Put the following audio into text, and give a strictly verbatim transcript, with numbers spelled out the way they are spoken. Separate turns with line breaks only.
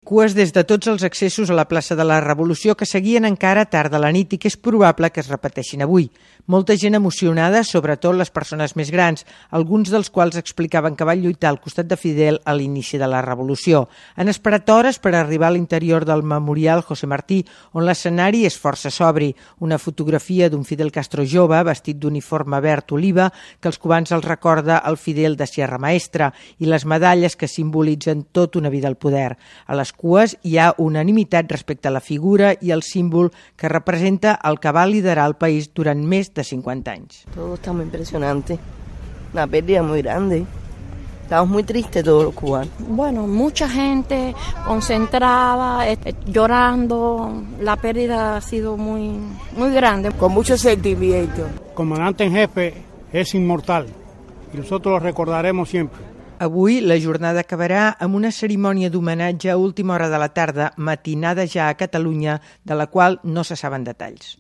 Cues des de tots els accessos a la plaça de la Revolució que seguien encara tard de la nit i que és probable que es repeteixin avui. Molta gent emocionada, sobretot les persones més grans, alguns dels quals explicaven que van lluitar al costat de Fidel a l'inici de la Revolució. Han esperat hores per arribar a l'interior del memorial José Martí, on l'escenari és força sobri. Una fotografia d'un Fidel Castro jove, vestit d'uniforme verd oliva, que els cubans els recorda el Fidel de Sierra Maestra, i les medalles que simbolitzen tota una vida al poder. A les cues hi ha unanimitat respecte a la figura i el símbol que representa el que va liderar el país durant més de cinquanta anys.
Todo está muy impresionante, una pérdida muy grande. Estamos muy tristes todos los cubanos.
Bueno, mucha gente concentrada, eh, llorando. La pérdida ha sido muy, muy grande.
Con mucho sentimiento.
El comandante en jefe es inmortal y nosotros lo recordaremos siempre.
Avui la jornada acabarà amb una cerimònia d'homenatge a última hora de la tarda, matinada ja a Catalunya, de la qual no se saben detalls.